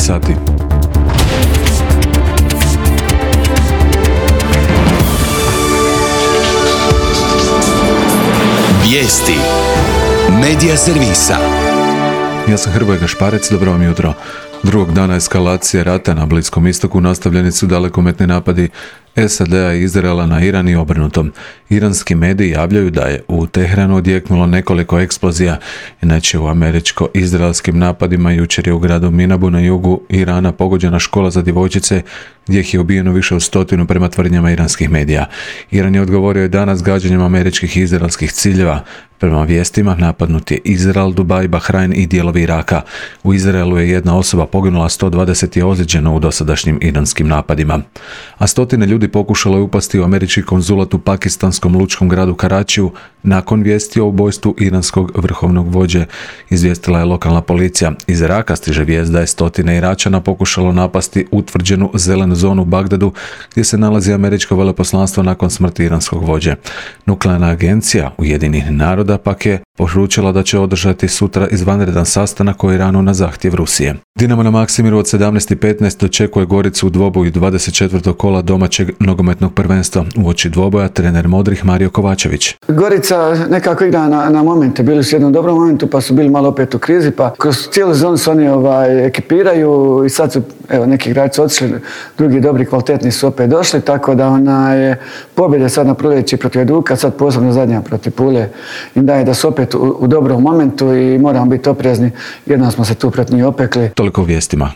sati. Vijesti Medija servisa. Ja sam Hrvoje Gašparec, dobro vam jutro. Drugog dana eskalacije rata na Bliskom istoku nastavljeni su dalekometni napadi SAD-a i Izraela na Iran i obrnuto. Iranski mediji javljaju da je u Teheranu odjeknulo nekoliko eksplozija, inače u američko-izraelskim napadima jučer je u gradu Minabu na jugu Irana pogođena škola za djevojčice gdje ih je ubijeno više od 100 prema tvrdnjama iranskih medija. Iran je odgovorio i danas gađanjem američkih i izraelskih ciljeva. Prema vijestima napadnut je Izrael, Dubaj, Bahrajn i dijelovi Iraka. U Izraelu je jedna osoba poginula, 120 je ozlijeđeno u dosadašnjim iranskim napadima. A stotine ljudi pokušalo je upasti u američki konzulat u pakistanskom lučkom gradu Karačiju nakon vijesti o ubojstvu iranskog vrhovnog vođe, izvijestila je lokalna policija. Iz Iraka stiže vijest da je stotine Iračana pokušalo napasti utvrđenu zelenu zonu u Bagdadu gdje se nalazi američko veleposlanstvo nakon smrti iranskog vođe. Nuklearna agencija Ujedinjenih naroda pak je poručila da će održati sutra izvanredan sastanak o Iranu na zahtjev Rusije. Dinamo na Maksimiru od 17:15 dočekuje Goricu u dvoboju 24. kola domaćeg nogometnog prvenstva. Uoči dvoboja trener Modrih Mario Kovačević. Gorica nekako igra na momente, bili su u jednom dobrom momentu pa su bili malo opet u krizi, pa kroz cijelu sezonu se oni ekipiraju i sad su neki igrači otišli, drugi dobri kvalitetni su opet došli, tako da pobjede sad na proljeći protiv Hajduka, sad posebno zadnja protiv Pule im daje da su opet u dobrom momentu i moramo biti oprezni, jednom smo se tu protiv njih opekli. Toliko u vijestima.